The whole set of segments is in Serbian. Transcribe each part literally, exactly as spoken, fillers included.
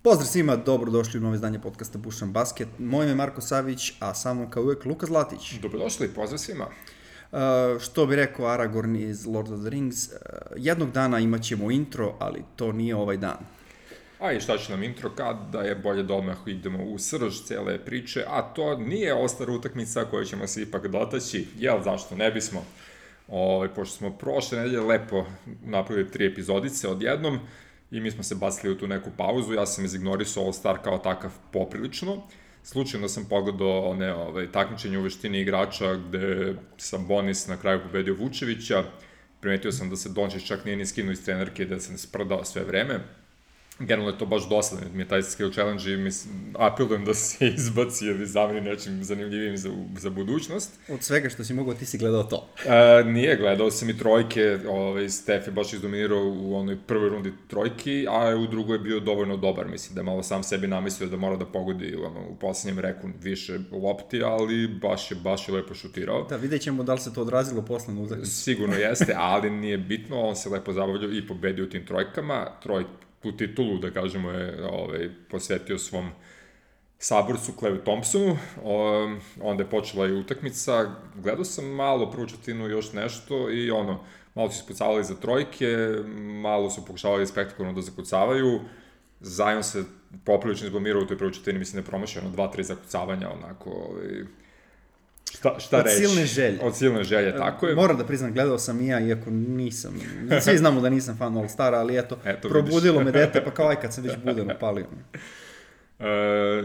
Pozdrav svima, dobrodošli u novo izdanje podcasta Bušan Basket. Moje ime je Marko Savić, a sa mnom kao uvek Luka Zlatić. Dobrodošli, pozdrav svima. Uh, što bi rekao Aragorn iz Lord of the Rings, uh, jednog dana imat ćemo intro, ali to nije ovaj dan. A i šta će nam intro kada je bolje da odmah idemo u srž cele priče, a to nije ostara utakmica koju ćemo se ipak dotaći, jel zašto ne bismo? O, pošto smo prošle nedelje lepo napravili tri epizodice odjednom i mi smo se bacili u tu neku pauzu, ja sam izignorisao All-Star kao takav poprilično. Slučajno sam pogledao one ovaj, takmičenje u veštini igrača gde sam Bonis na kraju pobedio Vučevića, primetio sam da se Dončić čak nije ni skinuo iz trenerke i da se ne sprdao sve vreme. Generalno je to baš dosadno, mi je taj skill challenge i mislim, apelujem da se izbaci ili zameni nečim zanimljivim za, za budućnost. Od svega što si mogao, ti si gledao to? E, nije, gledao sam i trojke, ovaj, Stef je baš izdominirao u onoj prvoj rundi trojki, a u drugoj je bio dovoljno dobar, mislim da je malo sam sebi namislio da mora da pogodi ono, u poslednjem reku više lopti, ali baš je, baš je lepo šutirao. Da, vidjet ćemo da li se to odrazilo posle na utakmicu. Sigurno jeste, ali nije bitno, on se lepo zabavljao i pobedio u tim trojkama, trojke tu titulu, da kažemo, je ovaj, posvetio svom saborcu Klaju Thompsonu, o, onda je počela i utakmica, gledao sam malo prvu četvrtinu još nešto i ono, malo su ispucavali za trojke, malo su pokušavali spektakularno da zakucavaju, Zion se poprilično izblamirao u toj prvoj četvrtini, mislim da je promašio ono dva tri zakucavanja, onako, ovaj, Šta, šta od reći? silne želje. Od silne želje, tako je. Moram da priznam, gledao sam i ja, iako nisam, svi znamo da nisam fan All-Stara, ali eto, eto probudilo me dete, pa kao aj kad sam već budan upalio. E,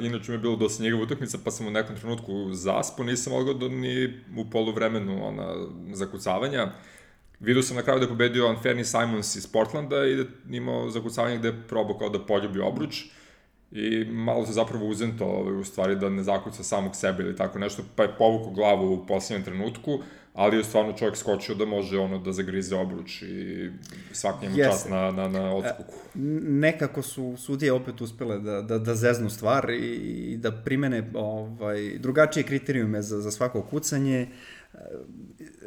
inače mi je bilo dosta njegova utakmica, pa sam u nekom trenutku zaspao, nisam mogao da ni u poluvremenu ona, zakucavanja. Vidio sam na kraju da je pobedio Anthony Simons iz Portlanda i da je imao zakucavanje gde je probao kao da poljubi obruč. I malo se zapravo uzento u stvari da ne zakuca samog sebe ili tako nešto, pa je povukao glavu u posljednjem trenutku, ali je stvarno čovjek skočio da može ono da zagrize obruč i svaki njemu čast na, na, na odskoku. Nekako su sudije opet uspele da, da, da zeznu stvar i, i da primene ovaj, drugačije kriterijume za, za svako kucanje.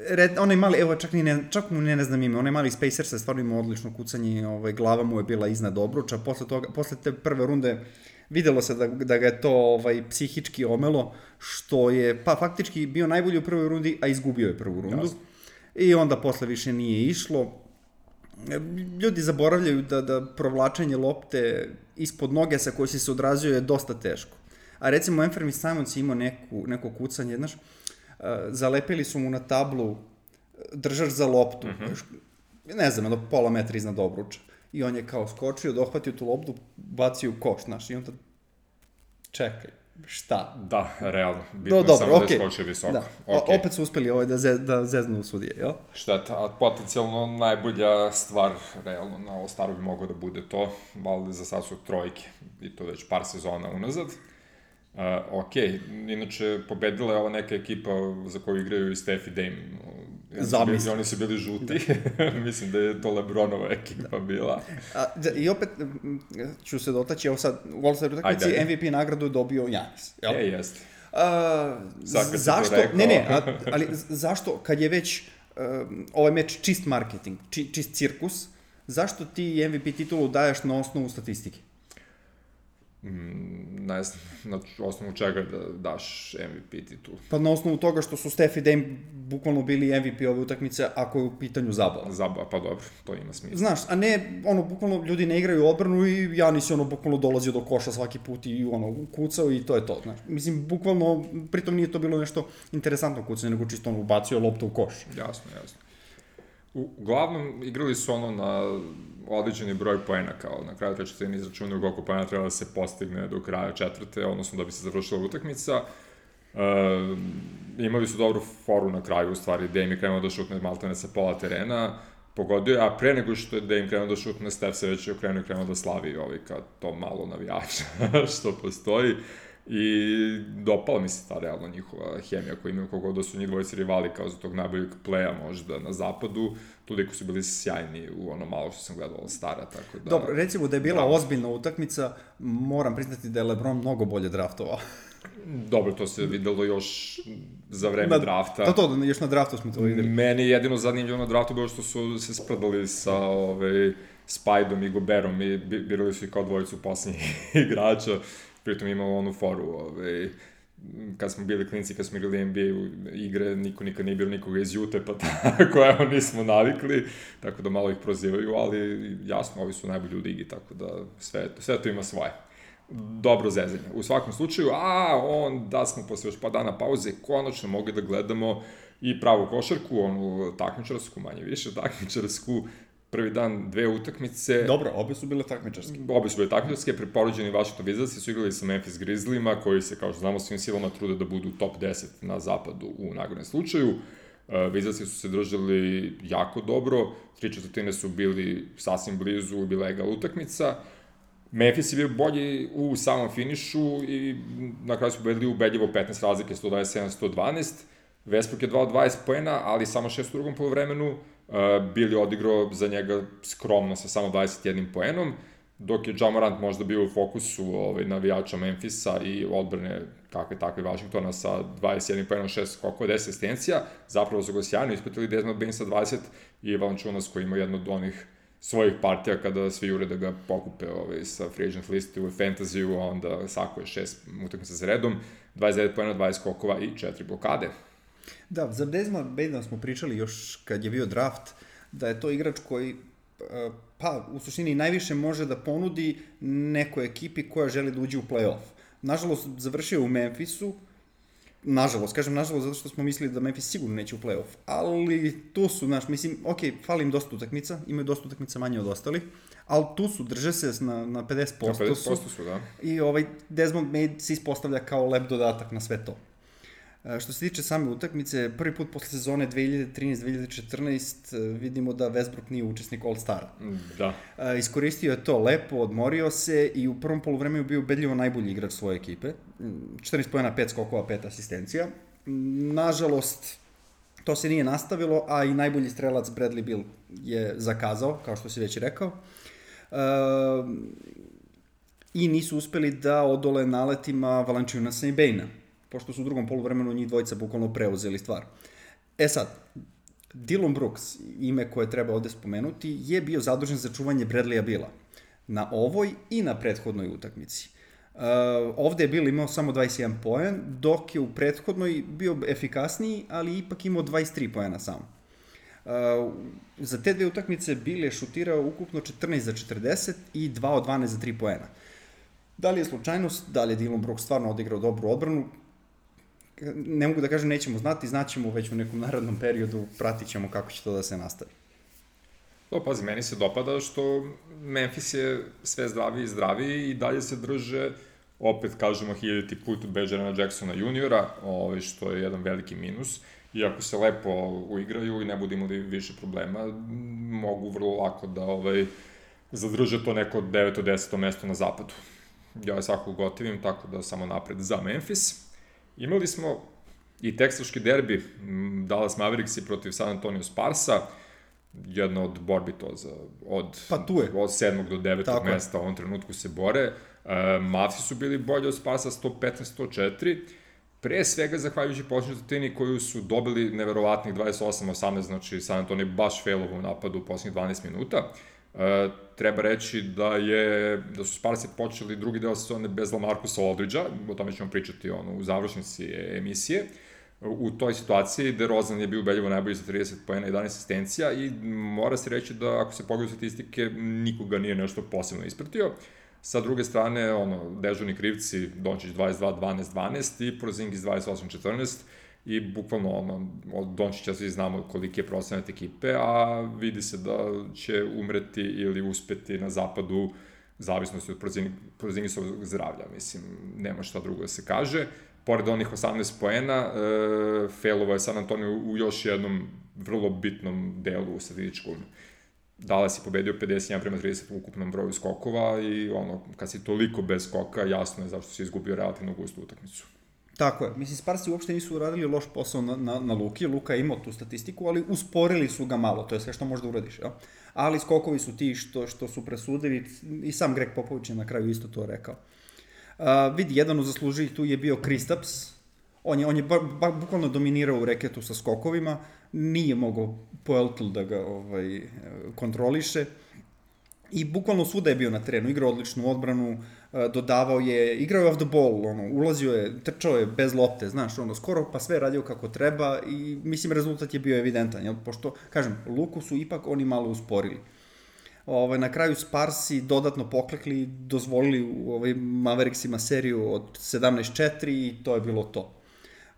Red, onaj mali, evo čak, ni ne, čak mu ne, ne znam ime, onaj mali Spacers je stvarno imao odlično kucanje, ovaj, glava mu je bila iznad obruča, posle, toga, posle te prve runde videlo se da, da ga je to ovaj, psihički omelo, što je pa faktički bio najbolji u prvoj rundi, a izgubio je prvu rundu. Jasne. I onda posle više nije išlo. Ljudi zaboravljaju da, da provlačenje lopte ispod noge sa koje si se odrazio je dosta teško. A recimo Anthony Simons je imao neku, neko kucanje, znaš, zalepili su mu na tablu držač za loptu, mm-hmm. ne znam, do pola metra iznad obruča. I on je kao skočio, dohvatio tu loptu, bacio u koš, znaš, i onda čekaj, šta? Da, realno, bitno Do, samo okay. da je skočio visoko. Da. Okay. Opet su uspeli ovaj da, ze, da zeznu sudije, jel? Šteta, a potencijalno najbolja stvar, realno, na All-Staru bi moglo da bude to, ali za sad su trojke, i to već par sezona unazad. Uh, ok, inače pobedila je ova neka ekipa za koju igraju i Steph i Dame. Zamisli. Oni su bili žuti, mislim da je to LeBronova ekipa da. bila. A, I opet ću se dotaći, evo sad u All-Star utakmici M V P nagradu dobio Giannis. Jel? E, jeste. Uh, zašto? Ne, ne, a, ali zašto kad je već uh, ovaj meč čist marketing, či, čist cirkus, zašto ti M V P titulu daješ na osnovu statistike? Ne znam, na osnovu čega da daš M V P titulu. Pa na osnovu toga što su Steph i Dame bukvalno bili M V P ove utakmice ako je u pitanju zabava. Zabava, pa dobro, to ima smisla. Znaš, a ne, ono, bukvalno ljudi ne igraju odbranu i Giannis je ono bukvalno dolazio do koša svaki put i ono, kucao i to je to, znaš. Mislim, bukvalno, pritom nije to bilo nešto interesantno kucanje, nego čisto ono, ubacio loptu u koš. Jasno, jasno. U, uglavnom, igrali su ono na određeni broj poena, kao na kraju te četvrtine izračunaju koliko poena treba da se postigne do kraja četvrte, odnosno da bi se završila utakmica. E, imali su dobru foru na kraju, u stvari, Dame je krenuo da šutne maltene sa pola terena, pogodio je, a pre nego što je Dame krenuo da šutne, Steph se već okrenuo i krenuo da slavi ovaj, kao to malo navijača što postoji. I dopala mi se ta realno njihova hemija koja imaju, kogo da su njih dvojice rivali kao za tog najboljeg playa možda na zapadu, toliko su bili sjajni u ono malo što sam gledao All-Stara, tako da... Dobro, recimo da je bila ozbiljna utakmica, moram priznati da je LeBron mnogo bolje draftovao. Dobro, to se videlo još za vreme na, drafta. To, to, još na draftu smo to videli. Meni je jedino zanimljivo na draftu bilo što su se sprdali sa ove, Spajdom i Goberom i birali su i kao dvojicu posljednjih igrača, pritom imalo onu foru, ovaj, kad smo bili klinci, kad smo igrali N B A igre, niko nikad nije bilo nikoga iz Jute, pa tako, evo, nismo navikli, tako da malo ih prozivaju, ali jasno, ovi su najbolji u ligi, tako da sve, sve to ima svoje. Dobro zezanje. U svakom slučaju, a onda smo posle još pa dana pauze konačno mogli da gledamo i pravu košarku, onu takmičarsku, manje više takmičarsku, prvi dan dve utakmice. Dobro, obe su bile takmičarske. Obe su bile takmičarske, preporođeni Washington Wizardsi su igrali sa Memphis Grizzlyima, koji se, kao što znamo, svim silama trude da budu top deset na zapadu u nagradnom slučaju. Uh, Wizardsi su se držali jako dobro, tri četvrtine su bili sasvim blizu, bila je egal utakmica. Memphis je bio bolji u samom finišu i na kraju su pobedili ubedljivo petnaest razlike, sto dvadeset sedam sto dvanaest. Westbrook je dao dvadeset poena, ali samo šest u drugom polovremenu. Uh, Billy odigrao za njega skromno sa samo dvadeset jednim poenom, dok je Ja Morant možda bio u fokusu ovaj, navijača Memphisa i odbrane kakve takve Washingtona sa dvadeset jednim poenom, šest skokova, deset asistencija. Zapravo su ga sjajno ispratili Desmond Bain sa dvadeset i Valanciunas koji ima jednu od onih svojih partija kada svi jure da ga pokupe ovaj, sa free agent listi u fantasy-u, a onda sakuje šest utakmica za redom, dvadeset devet poena, dvadeset skokova i četiri blokade. Da, za Desmond Baina smo pričali još kad je bio draft, da je to igrač koji, pa, u suštini najviše može da ponudi nekoj ekipi koja želi da uđe u play-off. Nažalost, završio u Memphisu, nažalost, kažem nažalost zato što smo mislili da Memphis sigurno neće u play-off, ali tu su, znaš, mislim, ok, fali im dosta utakmica, imaju dosta utakmica manje od ostalih, ali tu su, drže se na, na pedeset posto, na pedeset posto su, da. I ovaj Desmond Bain se ispostavlja kao lep dodatak na sve to. Što se tiče same utakmice, prvi put posle sezone dve hiljade trinaeste dve hiljade četrnaeste vidimo da Westbrook nije učesnik All-Stara. Da. Iskoristio je to lepo, odmorio se i u prvom poluvremenu bio ubedljivo najbolji igrač svoje ekipe. četrnaest poena, pet skokova, pet asistencija. Nažalost, to se nije nastavilo, a i najbolji strelac Bradley Beal je zakazao, kao što si već rekao. I nisu uspeli da odole naletima Valanciunasa i Baina, pošto su u drugom poluvremenu njih dvojica bukvalno preuzeli stvar. E sad, Dillon Brooks, ime koje treba ovde spomenuti, je bio zadužen za čuvanje Bradleya Beala na ovoj i na prethodnoj utakmici. Uh, ovde je Beal imao samo dvadeset jedan poen, dok je u prethodnoj bio efikasniji, ali ipak imao dvadeset tri poena samo. Uh, za te dve utakmice Beal je šutirao ukupno četrnaest za četrdeset i dva od dvanaest za tri poena. Da li je slučajnost, da li je Dillon Brooks stvarno odigrao dobru odbranu, ne mogu da kažem, nećemo znati, znaćemo već u nekom narodnom periodu, pratit ćemo kako će to da se nastavi. To, pazi, meni se dopada što Memphis je sve zdraviji i zdraviji i dalje se drže, opet kažemo hiljaditi put bez Jarena Jacksona juniora, ovaj, što je jedan veliki minus. Iako se lepo uigraju i ne budu imali više problema, mogu vrlo lako da ovaj, zadrže to neko deveto deseto mesto na zapadu. Ja je svakako gotivim, tako da samo napred za Memphis. Imali smo i teksaški derbi, Dallas Mavericks protiv San Antonio Sparsa, jedna od borbi to za, od, pa tu je. Od sedmog do devetog tako mesta u ovom trenutku se bore. Uh, Mavsi su bili bolji od Sparsa sto petnaest sto četiri, pre svega zahvaljujući posljednjoj četvrtini koju su dobili neverovatnih dvadeset osam osamnaest, znači San Antonio baš failovo u napadu u posljednjih dvanaest minuta. Uh, treba reći da je da su Sparsi počeli drugi deo sezone bez LaMarcusa Aldridgea, o tome ćemo pričati ono, u završnici emisije. U toj situaciji DeRozan je bio ubedljivo najbolji sa trideset poena i jedanaest asistencija i mora se reći da ako se pogledaju statistike nikoga nije nešto posebno ispratio. Sa druge strane, ono, dežurni krivci, Dončić dvadeset dva dvanaest dvanaest i Porzingis dvadeset osam četrnaest i bukvalno ono, od Dončića svi znamo koliki je procenat ekipe, a vidi se da će umreti ili uspeti na zapadu zavisnosti od Porzingisovog zdravlja, mislim, nema šta drugo da se kaže. Pored onih osamnaest poena, e, failovo je San Antonio u još jednom vrlo bitnom delu u statističkom. Dallas je pobedio pedeset jedan prema trideset u ukupnom broju skokova i ono, kad si toliko bez skoka, jasno je zašto si izgubio relativno gustu utakmicu. Tako je. Mislim, Sparsi uopšte nisu uradili loš posao na, na, na Luki. Luka je imao tu statistiku, ali usporili su ga malo. To je sve što možda uradiš, jel? Ali skokovi su ti što, što su presudili i sam Greg Popović je na kraju isto to rekao. Uh, vidi, jedan od zasluživih tu je bio Kristaps. On je, on je ba, ba, bukvalno dominirao u reketu sa skokovima. Nije mogao Poeltl da ga ovaj, kontroliše. I bukvalno svuda je bio na terenu, igrao odličnu odbranu, dodavao je, igrao je off the ball, ono, ulazio je, trčao je bez lopte, znaš, ono, skoro pa sve radio kako treba i mislim rezultat je bio evidentan, jel? Pošto, kažem, Luku su ipak oni malo usporili. Ovaj, na kraju Sparsi dodatno poklekli, dozvolili u ovaj, Mavericksima seriju od sedamnaest četiri i to je bilo to.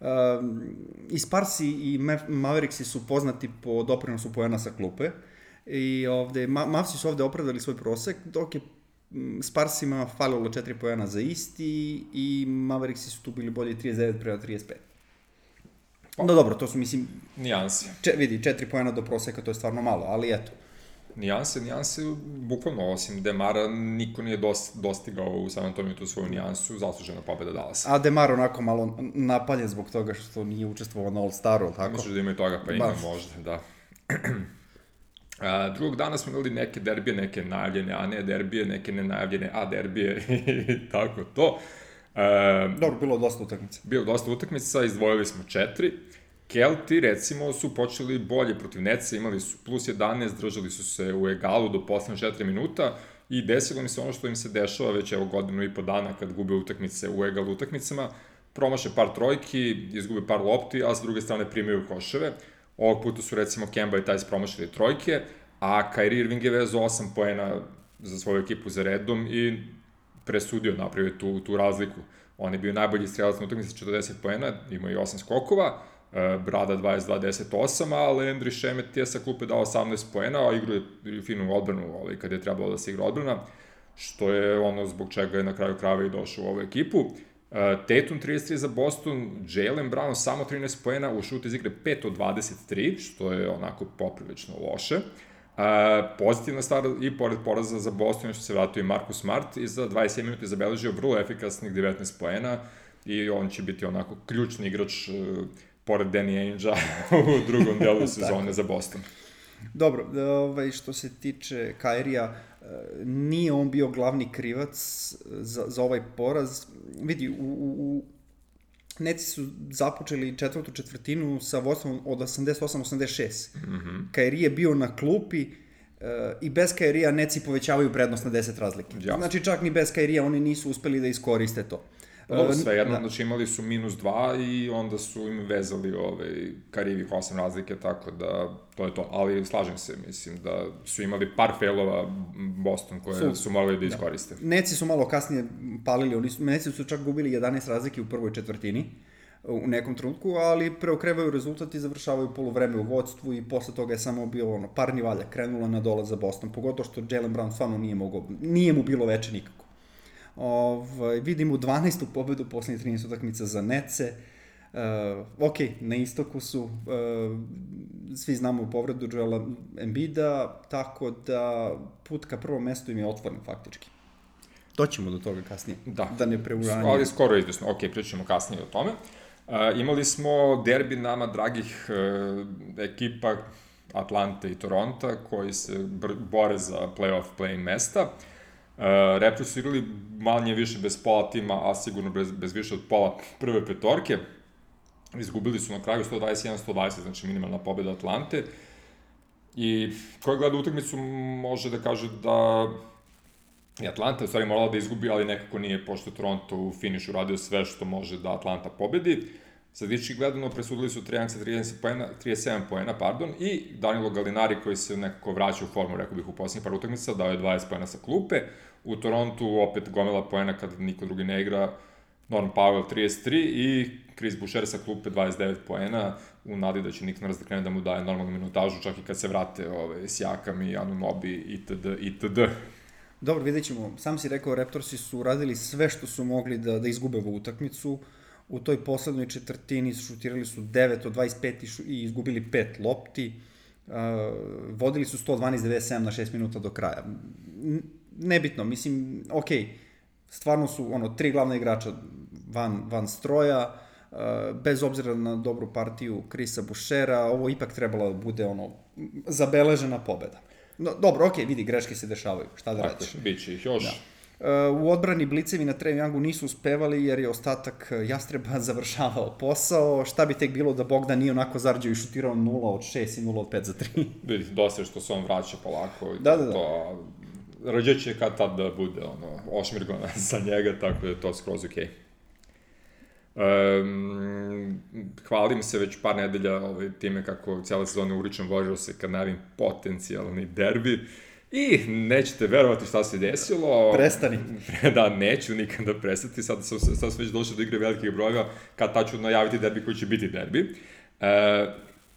Um, I Sparsi i Mavericksi su poznati po doprinosu poena sa klupe i ovde, Ma Mavsi su ovde opravdali svoj prosek, dok je Sparsima falilo četiri poena za isti i Mavericksi su tu bili bolji trideset devet prema trideset pet. Pa, no dobro, to su, mislim... Nijanse. Če, vidi, četiri poena do proseka, to je stvarno malo, ali eto. Nijanse, nijanse, bukvalno, osim Demara, niko nije dost, dostigao u San Antoniju tu svoju nijansu, zaslužena pobeda Dallasa. A Demar onako malo napaljen zbog toga što nije učestvovao na All-Staru, tako? Misliš da ima i toga, pa ima možda, da. A, drugog dana smo imali neke derbije, neke najavljene, a ne derbije, neke nenajavljene, a derbije i tako to. A, Dobro, bilo dosta utakmica. Bilo dosta utakmica, izdvojili smo četiri. Kelti, recimo, su počeli bolje protiv Netsa, imali su plus jedanaest, držali su se u egalu do poslednje četiri minuta i desilo mi se ono što im se dešava već evo godinu i po dana kad gube utakmice u egalu utakmicama, promaše par trojki, izgube par lopti, a s druge strane primaju koševe. Ovog puta su recimo Kemba i Tajs promašili trojke, a Kyrie Irving je vezao osam poena za svoju ekipu za redom i presudio, napravio tu, tu razliku. On je bio najbolji strelac na utakmici četrdeset poena, imao i osam skokova, Brada dvadeset dva deset osam, a Landry Shamet je sa klupe dao osamnaest poena, a igrao je finu odbranu ovaj, kad je trebalo da se igra odbrana, što je ono zbog čega je na kraju krava i došao u ovu ekipu. Tatum trideset tri za Boston, Jaylen Brown samo trinaest poena, u šutu iz igre pet od dvadeset tri, što je onako poprilično loše. Uh, pozitivna stvar i pored poraza za Boston što se vratio i Marcus Smart i za dvadeset sedam minuta je zabeležio vrlo efikasnih devetnaest poena i on će biti onako ključni igrač uh, pored Danny Ainge-a u drugom delu sezone za Boston. Dobro, ovaj, što se tiče Kairija, nije on bio glavni krivac za, za ovaj poraz. Vidi, u, u, u Netsi su započeli četvrtu četvrtinu sa vodstvom od osamdeset osam osamdeset šest. Mm-hmm. Kairi je bio na klupi uh, i bez Kairija Netsi povećavaju prednost na deset razlike. Jasno. Znači čak ni bez Kairija oni nisu uspeli da iskoriste to. Dobro, sve jedno, da. Znači imali su minus dva i onda su im vezali ovaj, Kairivih osam razlike, tako da to je to. Ali slažem se, mislim da su imali par failova Boston koje su, su morali da iskoriste. Da. Netsi su malo kasnije palili, oni su, Netsi su čak gubili jedanaest razlike u prvoj četvrtini u nekom trenutku, ali preokrevaju rezultat i završavaju poluvreme u vodstvu i posle toga je samo bilo ono, par nivalja krenula na dole za Boston, pogotovo što Jaylen Brown stvarno nije mogao, nije mu bilo veče nikako. Ovaj, vidimo dvanaestu pobedu poslednjih trinaest utakmica za Netce. Uh, ok, na istoku su, uh, svi znamo povredu Joela Embida, tako da put ka prvom mestu im je otvoren faktički. Doćemo do toga kasnije, da, da ne preuranjamo. Ali skoro je izvesno, ok, pričamo kasnije o tome. Uh, imali smo derbi nama dragih uh, ekipa Atlante i Toronta koji se bore za playoff play-in mesta. Uh, Raptors su igrali manje više bez pola tima, a sigurno bez, bez više od pola prve petorke. Izgubili su na kraju sto dvadeset jedan sto dvadeset, znači minimalna pobeda Atlante. I ko gleda utakmicu može da kaže da je Atlanta u stvari morala da izgubi, ali nekako nije, pošto Toronto u finišu radio sve što može da Atlanta pobedi. Statistički gledano presudili su Trijanca trideset sedam poena, pardon, i Danilo Gallinari koji se nekako vraća u formu, rekao bih, u posljednjih par utakmica, dao je dvadeset poena sa klupe. U Torontu opet gomila poena kad niko drugi ne igra, Norm Powell trideset tri i Chris Boucher sa klupe dvadeset devet poena, u nadi da će Nick Nurse da krene da mu daje normalnu minutažu, čak i kad se vrate ove, Siakam i Anunoby itd. itd. Dobro, vidjet ćemo. Sam si rekao, Raptorsi su radili sve što su mogli da, da izgube ovu utakmicu. U toj poslednoj četvrtini šutirali su devet od dvadeset pet i izgubili pet lopti. Uh, vodili su sto dvanaest devedeset sedam na šest minuta do kraja. Nebitno, mislim, ok, stvarno su ono, tri glavna igrača van, van stroja, uh, bez obzira na dobru partiju Chrisa Bouchera, ovo ipak trebalo da bude ono, zabeležena pobeda. No, dobro, ok, vidi, greške se dešavaju, šta da reći. Tako, bit će ih još. Da. U odbrani blicevi na Trae Youngu nisu uspevali jer je ostatak Jastreba završavao posao. Šta bi tek bilo da Bogdan nije onako zarđao i šutirao nula od šest i nula od pet za tri. Vidi, dosta je što se on vraća polako. Da, da, da. To, rađe će kad tad da bude, ono, ošmirgona za njega, tako da je to skroz okej. Um, hvalim se već par nedelja ovaj, time kako cijela sezona uričam Warriors kad najavim potencijalni derbi i nećete verovati šta se desilo. Prestani. Da, neću nikada prestati, sad sam, sad sam već došao do igre velikih brojeva kad tad ću najaviti derbi koji će biti derbi. Uh,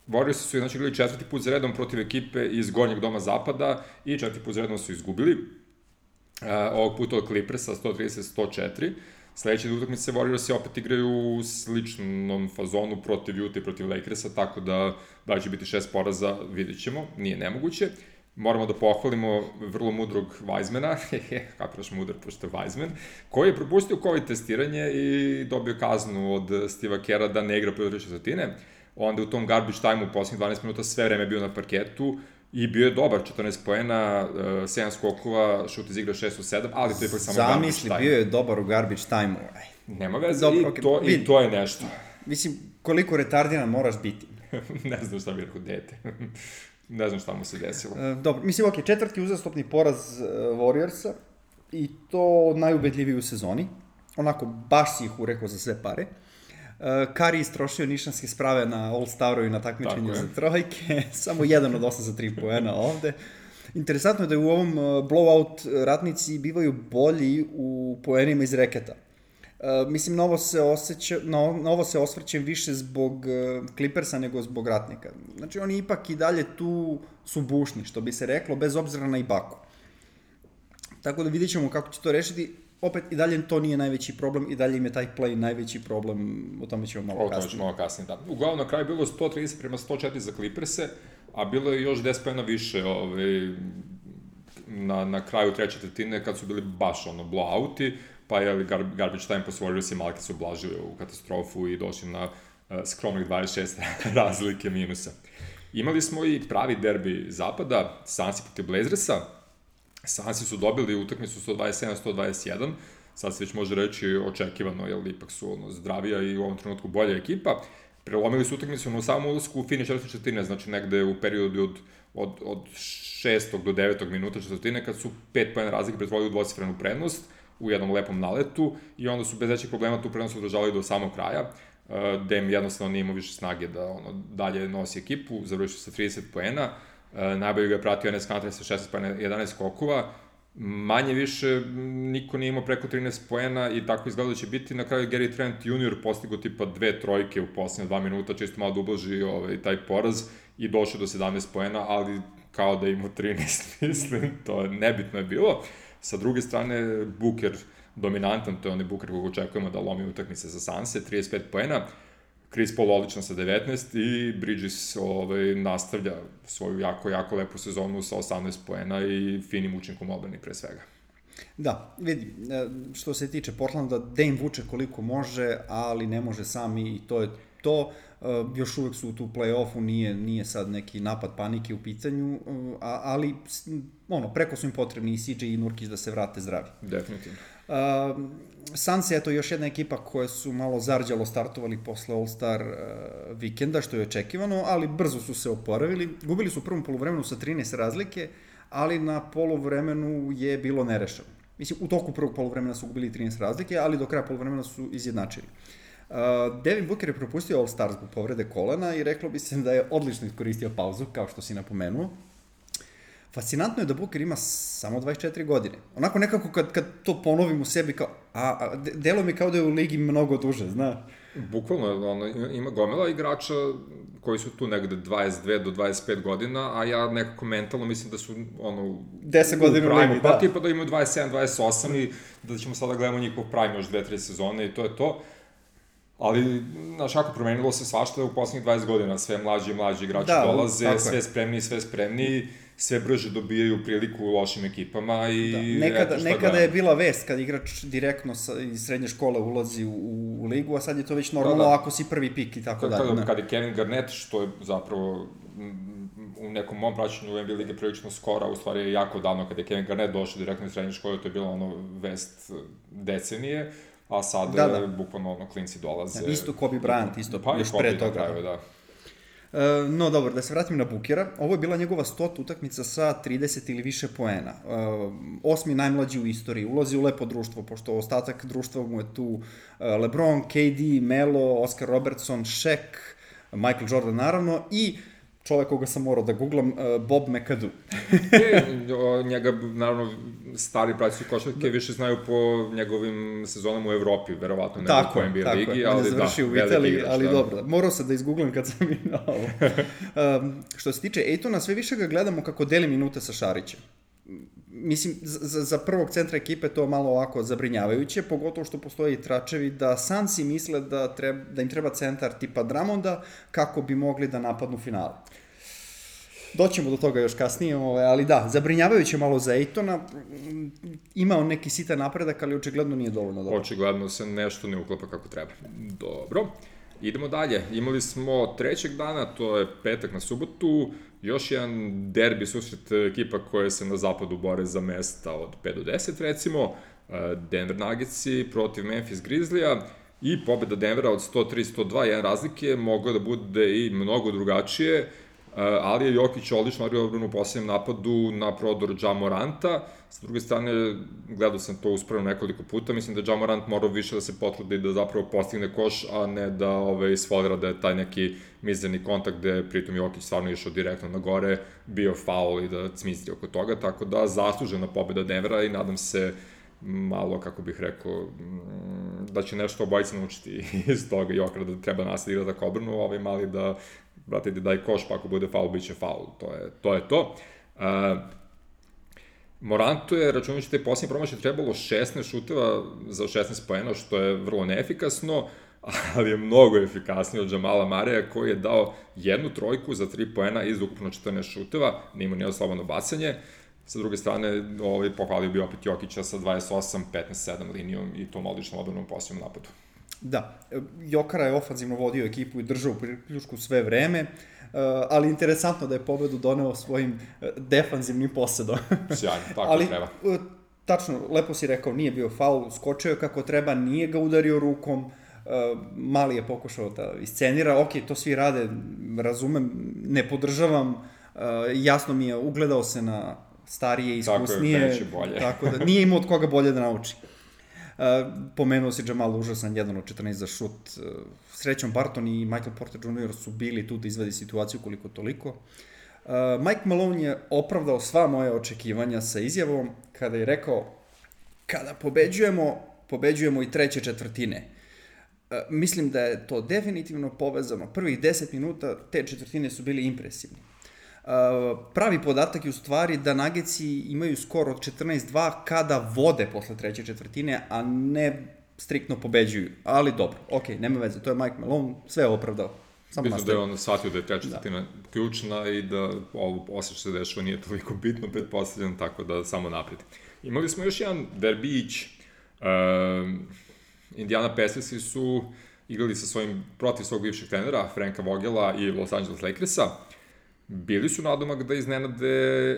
Warriors su znači igrali četvrti put za redom protiv ekipe iz gornjeg doma zapada i četvrti put za redom su izgubili. Uh, ovog puta od Clippersa sto trideset sto četiri. Sledeće utakmice Warriors opet igraju u sličnom fazonu protiv Utah i protiv Lakersa, tako da da će biti šest poraza, vidjet ćemo, nije nemoguće. Moramo da pohvalimo vrlo mudrog Weizmana, kapiraš mudar pošto je Weizman, koji je propustio COVID testiranje i dobio kaznu od Steve'a Kera da ne igra prve četvrtine. Onda u tom garbage time u posljednjih dvanaest minuta sve vreme bio na parketu i bio je dobar, četrnaest poena, sedam skokova, šut iz igra šest od sedam, ali to je ipak samo garbage time. Zamisli, bio je dobar u garbage time-u. Nema veze, Dobro, i, okay. to, i to je nešto. Mislim, koliko retardiran moraš biti. Ne znam šta bi rekao dete. Ne znam šta mu se desilo. E, dobro, mislim, ok, četvrti uzastopni poraz uh, Warriorsa i to najubedljiviji u sezoni. Onako, baš si ih urekao za sve pare. Uh, Kari istrošio nišanske sprave na All-Staru i na takmičenju za trojke. Samo jedan od osam za tri poena ovde. Interesantno je da u ovom uh, blowout ratnici bivaju bolji u poenima iz reketa. Uh, mislim, na ovo se, osjeća, na, na ovo se osvrćem više zbog uh, Clippersa nego zbog ratnika. Znači, oni ipak i dalje tu su bušni, što bi se reklo, bez obzira na Ibaku. Tako da vidjet ćemo kako će to rešiti. Opet, i dalje to nije najveći problem, i dalje im je taj play najveći problem, o tome ćemo malo kasnije. O tome ćemo malo kasnije, da. Uglavnom, na kraju bilo sto trideset prema sto četiri za Clipperse, a bilo je još deset pojena više ovaj, na, na kraju treće četvrtine, kad su bili baš ono blowouti, pa je garbage time po Warriors i Malki su oblažili u katastrofu i došli na uh, skromnih dvadeset šest razlike minusa. Imali smo i pravi derbi zapada, Sansi protiv Blazersa. Sansi su dobili utakmicu sto dvadeset sedam sto dvadeset jedan, sad se već može reći očekivano, jer ipak su ono, zdravija i u ovom trenutku bolja ekipa. Prelomili su utakmicu na samom ulasku u finiš četvrte četvrtine, znači negde u periodu od, od, od šestog do devetog minuta četvrtine, kad su pet pojena razlike pretvorili u dvocifrenu prednost u jednom lepom naletu i onda su bez većih problema tu prednost održavali do samog kraja. Dem jednostavno nije imao više snage da ono, dalje nosi ekipu, završio sa trideset poena. Uh, najbolje ga je pratio Enes Kanter sa šesnaest poena, jedanaest skokova, manje više niko nije imao preko trinaest poena i tako izgleda da će biti. Na kraju Gary Trent junior postigo tipa dve trojke u posljednje dva minuta, čisto malo da ublaži ovaj, taj poraz i došao do sedamnaest poena, ali kao da imao trinaest, mislim, to nebitno je bilo. Sa druge strane, Booker dominantan, to je onaj Booker kog očekujemo da lomi utakmice za Sanse, trideset pet poena, Chris Paul odličan sa devetnaest i Bridges ovaj, nastavlja svoju jako, jako lepu sezonu sa osamnaest poena i finim učinkom odbrani pre svega. Da, vidi, što se tiče Portlanda, Dame vuče koliko može, ali ne može sam i to je to. Još uvek su tu play-offu, nije, nije sad neki napad panike u pitanju, ali ono, preko su im potrebni i C J i Nurkić da se vrate zdravi. Definitivno. Uh, Suns je eto još jedna ekipa koja su malo zarđalo startovali posle All-Star uh, vikenda, što je očekivano, ali brzo su se oporavili. Gubili su u prvom poluvremenu sa trinaest razlike, ali na poluvremenu je bilo nerešeno. Mislim, u toku prvog poluvremena su gubili trinaest razlike, ali do kraja poluvremena su izjednačili. Uh, Devin Booker je propustio All-Star zbog povrede kolena i reklo bi se da je odlično iskoristio pauzu, kao što si napomenuo. Fascinantno je da Booker ima samo dvadeset četiri godine. Onako nekako kad, kad to ponovim u sebi kao, a, a delo mi kao da je u ligi mnogo duže, znaš. Bukvalno, ono, ima gomila igrača koji su tu negde dvadeset dve do dvadeset pet godina, a ja nekako mentalno mislim da su, ono... deset godina u ligi, da. Pa tipa da imaju dvadeset sedam dvadeset osam i da ćemo sada gledamo njihov prime još dve tri sezone i to je to. Ali, znaš, ako promenilo se svašta u poslednjih dvadeset godina, sve mlađi i mlađi igrači da, dolaze, sve spremniji, sve spremniji, sve brže dobijaju priliku u lošim ekipama i... Da. Nekada, eto nekada je bila vest kad igrač direktno sa, iz srednje škole ulazi u, u ligu, a sad je to već normalno da, da. Ako si prvi pik i tako dalje. Kada, kada je Kevin Garnett, što je zapravo u nekom mom praćenju u N B A lige prilično skora, u stvari je jako davno kada je Kevin Garnett došao direktno iz srednje škole, to je bilo ono vest decenije, a sad da, da. Bukvalno ono klinci dolaze. Ja, isto Kobe Bryant, isto pa još pre toga. Kraju, da. No dobro, da se vratim na Bookera, ovo je bila njegova stota utakmica sa trideset ili više poena. Osmi najmlađi u istoriji, ulazi u lepo društvo, pošto ostatak društva mu je tu LeBron, K D, Melo, Oscar Robertson, Shaq, Michael Jordan naravno i čovek koga sam morao da googlam, Bob McAdoo. e, njega, naravno, stari pratici košarke više znaju po njegovim sezonama u Evropi, verovatno nego po N B A ligi, ali da, veliki igrač. Ali da. Dobro, morao sam da izgooglam kad sam i na ovo. um, što se tiče Aytona, sve više ga gledamo kako deli minute sa Šarićem. Mislim, za, za prvog centra ekipe to malo ovako zabrinjavajuće, pogotovo što postoje i tračevi da Sansi misle da, treba, da im treba centar tipa Drummonda kako bi mogli da napadnu finale. Doćemo do toga još kasnije, ali da, zabrinjavajuće malo za Aytona, ima on neki sitan napredak, ali očigledno nije dovoljno dobro. Očigledno se nešto ne uklapa kako treba. Dobro, idemo dalje. Imali smo trećeg dana, to je petak na subotu, još jedan derbi susret ekipa koje se na zapadu bore za mesta od pet do deset, recimo, Denver Nuggetsi protiv Memphis Grizzlija i pobeda Denvera od sto tri sto dva, jedan razlike, moglo da bude i mnogo drugačije, ali je Jokić odlično odbio odbranu u posljednjem napadu na prodor Ja Moranta. S druge strane, gledao sam to uspravno nekoliko puta, mislim da Ja Morant morao više da se potrudi da zapravo postigne koš, a ne da ove, isfolira da je taj neki mizerni kontakt gde je pritom Jokić stvarno išao direktno na gore, bio faul i da cmistri oko toga, tako da zaslužena pobeda Denvera i nadam se malo, kako bih rekao, da će nešto obojica naučiti iz toga Jokera, da treba nastaviti igrati tako obrnu, ovaj mali da brate, daj koš, pa ako bude faul, bit će faul. To je to. Je to. Uh, Morantu je, računajući te posljednje promaše, trebalo šesnaest šuteva za šesnaest poena, što je vrlo neefikasno, ali je mnogo efikasniji od Jamala Mareja, koji je dao jednu trojku za tri poena iz ukupno četrnaest šuteva, nima nije slobodno bacanje. Sa druge strane, ovaj, pohvalio bi opet Jokića sa dvadeset osam petnaest sedam linijom i tom odličnom odbranom posljednom napadu. Da, Jokara je ofanzivno vodio ekipu i držao u priključku sve vreme, ali interesantno da je pobedu doneo svojim defanzivnim posedom. Sjajno, tako ali, treba. Tačno, lepo si rekao, nije bio faul, skočio je kako treba, nije ga udario rukom, mali je pokušao da iscenira, ok, to svi rade, razumem, ne podržavam, jasno mi je, ugledao se na starije, iskusnije, tako je, bolje. Tako da nije imao od koga bolje da nauči. Uh, pomenuo si Jamal užasan, jedan od četrnaest za šut. Uh, srećom Barton i Michael Porter junior su bili tu da izvedi situaciju koliko toliko. Uh, Mike Malone je opravdao sva moje očekivanja sa izjavom kada je rekao kada pobeđujemo, pobeđujemo i treće četvrtine. Uh, mislim da je to definitivno povezano. Prvih deset minuta te četvrtine su bili impresivni. Uh, pravi podatak je u stvari da Nuggetsi imaju skor od četrnaest dva kada vode posle treće četvrtine, a ne striktno pobeđuju. Ali dobro, ok, nema veze, to je Mike Malone, sve je opravdao. Samo Mislim da je on shvatio da je treća četvrtina da. ključna i da ovo posle što se dešava nije toliko bitno, pretpostavljeno, tako da samo napred. Imali smo još jedan derbić. Uh, Indiana Pacersi su igrali sa svojim, protiv svog bivšeg trenera, Franka Vogela i Los Angeles Lakersa. Bili su nadomak da iznenade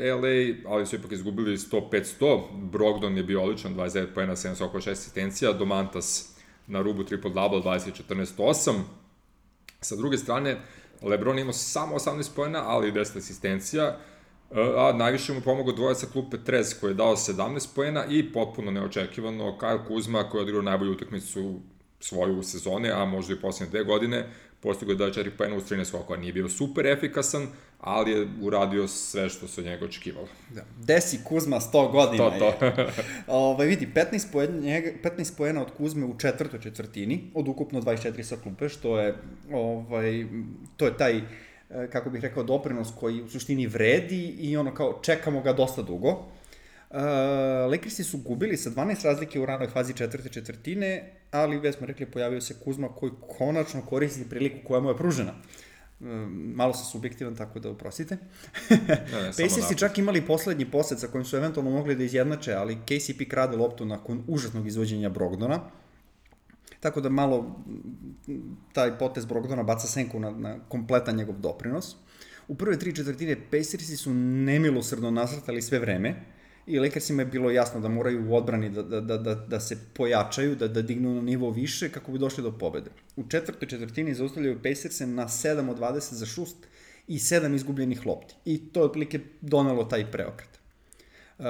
L A, ali su ipak izgubili sto pet sto. Brogdon je bio odličan, dvadeset devet poena, sedam skokova, šest asistencija. Domantas na rubu triple-double, dvadeset četrnaest osam. Sa druge strane, LeBron imao samo osamnaest poena, ali i deset asistencija. A najviše mu pomogao dvojac sa klupe Trez, koji je dao sedamnaest poena i potpuno neočekivano Kyle Kuzma, koji je odigrao najbolju utakmicu svoju sezone, a možda i posljednje dve godine. Postigao je da je četiri poena uz trinaest skokova. Nije bio super efikasan, ali je uradio sve što se od njega očekivalo. Da. Desi Kuzma sto godina to, to. je. Ove, vidi, petnaest poena, njega, petnaest poena od Kuzme u četvrtoj četvrtini, od ukupno dvadeset četiri sa klupe, što je, ovaj, to je taj, kako bih rekao, doprinos koji u suštini vredi i ono kao čekamo ga dosta dugo. Uh, Lakersi su gubili sa dvanaest razlike u ranoj fazi četvrte četvrtine, ali već smo rekli pojavio se Kuzma koji konačno koristi priliku koja mu je pružena. Uh, malo sam subjektivan, tako da oprostite. Pacersi čak imali poslednji posed sa kojim su eventualno mogli da izjednače, ali K C P krade loptu nakon užasnog izvođenja Brogdona. Tako da malo taj potez Brogdona baca senku na, na kompletan njegov doprinos. U prve tri četvrtine Pacersi su nemilosrdno nasrtali sve vreme i Lakersima je bilo jasno da moraju u odbrani da, da, da, da, da se pojačaju, da, da dignu na nivo više kako bi došli do pobede. U četvrtoj četvrtini zaustavljaju Pacerse na sedam od dvadeset za šut i sedam izgubljenih lopti. I to je otprilike donelo taj preokret. Uh,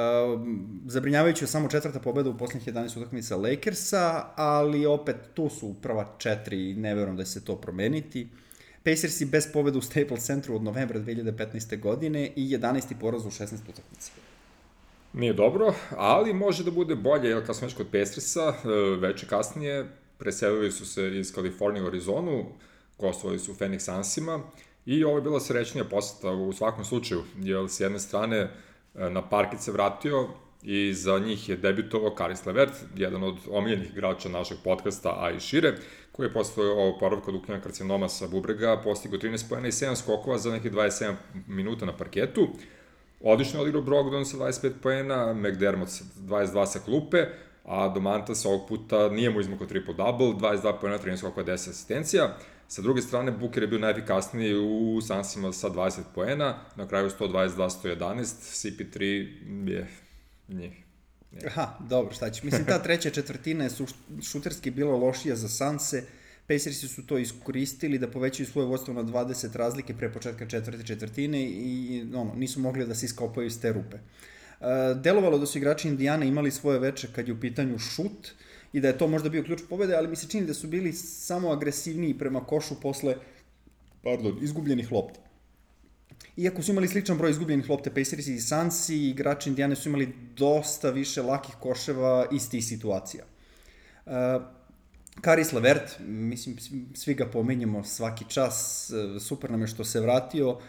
zabrinjavajući je samo četvrta pobeda u posljednjih jedanaest utakmica Lakersa, ali opet tu su prva četiri i ne verujem da će se to promeniti. Pacersi bez pobeda u Staples Centru od novembra dve hiljade petnaeste. godine i jedanaesti poraz u šesnaest utakmica. Nije dobro, ali može da bude bolje, jer kad smo već kod Pacersa, već kasnije preselili su se iz Kalifornije u Arizonu, gostovali su u Phoenix Sunsima i ovo je bila srećnija poseta u svakom slučaju, jer s jedne strane na parket se vratio i za njih je debitovao Caris LeVert, jedan od omiljenih igrača našeg podcasta, a i šire, koji je posle oporavka od uklanjanja karcinoma sa bubrega postigao trinaest poena i sedam skokova za nekih dvadeset sedam minuta na parketu. Odlično je odigrao Brogdon sa dvadeset pet poena, McDermott sa dvadeset dva sa klupe, a Domantas ovog puta nije mu izmakao triple-double, dvadeset dva poena, trinaest skokova, deset asistencija. Sa druge strane, Booker je bio najefikasniji u Sunsima sa dvadeset poena, na kraju sto dvadeset dva sto jedanaest, C P tri je njih. Aha, dobro, šta će. Mislim, ta treća četvrtina je šuterski bila lošija za Sunse. Pacersi su to iskoristili da povećaju svoje vodstvo na dvadeset razlike pre početka četvrte četvrtine i ono, nisu mogli da se iskopaju iz te rupe. Uh, delovalo da su igrači Indijana imali svoje veče kad je u pitanju šut i da je to možda bio ključ pobede, ali mi se čini da su bili samo agresivniji prema košu posle pardon, izgubljenih lopti. Iako su imali sličan broj izgubljenih lopte, Pacersi i Sunsi, igrači Indijane su imali dosta više lakih koševa iz tih situacija. Uh, Caris LeVert, mislim, svi ga pomenjamo svaki čas, super nam je što se vratio, uh,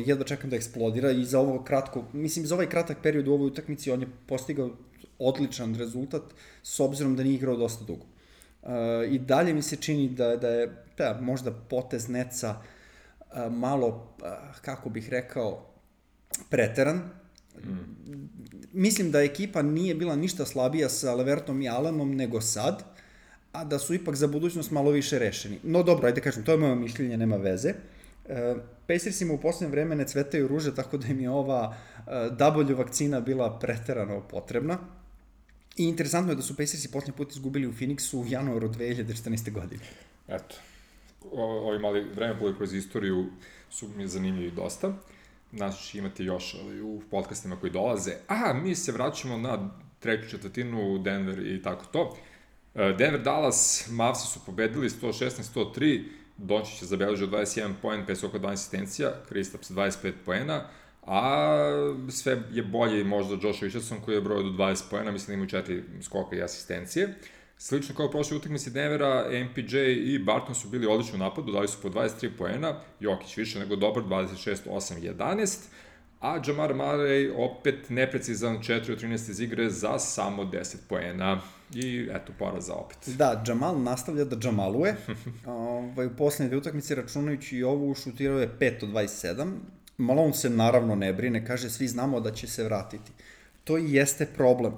jedva čekam da eksplodira i za ovo kratko, mislim, za ovaj kratak period u ovoj utakmici on je postigao odličan rezultat, s obzirom da nije igrao dosta dugo. Uh, I dalje mi se čini da, da je da, možda potez Netsa uh, malo, uh, kako bih rekao, preteran. Mm. Mislim da ekipa nije bila ništa slabija sa LeVertom i Allenom nego sad, a da su ipak za budućnost malo više rešeni. No dobro, ajde kažem, to je moje mišljenje, nema veze. Uh, Pacersima u posljednje vreme ne cvetaju ruže, tako da im je ova uh, W vakcina bila preterano potrebna. I interesantno je da su Pacersi posljednji put izgubili u Phoenixu u januaru dve hiljade četrnaeste. godine. Eto, o, ovi mali vremenoplovi kroz istoriju su mi zanimljivi dosta. Znači imate još ali, u podcastima koji dolaze. A, mi se vraćamo na treću četvrtinu, Denver i tako to. Denver Dallas, Mavsi su pobedili sto šesnaest sto tri, Dončić je zabeležio dvadeset jedan poen, pet skokova, dvanaest asistencija, Kristaps dvadeset pet poena, a sve je bolje i možda Josh Richardson koji je brojao do dvadeset poena, mislim da imaju četiri skoka i asistencije. Slično kao u prošloj utakmici Denvera, M P J i Barton su bili odlični u napadu, dali su po dvadeset tri poena, Jokić više nego dobar, dvadeset šest osam jedanaest, a Jamar Murray opet neprecizan, četiri od trinaest iz igre za samo deset poena. I eto, poraza opet. Da, Jamal nastavlja da Jamaluje. ovaj, u posljednje dve utakmice, računajući i ovu, šutirao je pet od dvadeset sedam. Malone se naravno ne brine, kaže svi znamo da će se vratiti. To i jeste problem.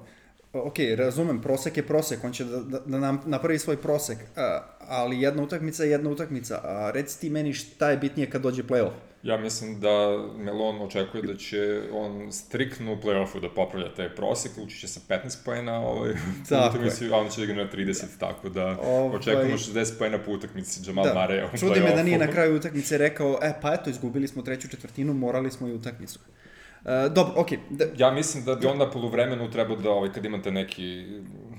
Ok, razumem, prosek je prosek, on će da, da, da nam napravi svoj prosek, a, ali jedna utakmica je jedna utakmica. A reci ti meni šta je bitnije kad dođe play-off? Ja mislim da Melon očekuje da će on striktno u play-offu da popravlja taj prosek, ući će sa petnaest poena, ovaj, utakmici, a on će da igra na trideset, tako da ovaj, očekujemo šezdeset poena po utakmici Jamal da, Murray u play-offu. Čudi me da nije na kraju utakmice rekao, e pa eto, izgubili smo treću četvrtinu, morali smo i utakmicu. Uh, dobro, okej. Okay. Da... Ja mislim da bi onda poluvremenu trebao da, ovaj, kad imate neki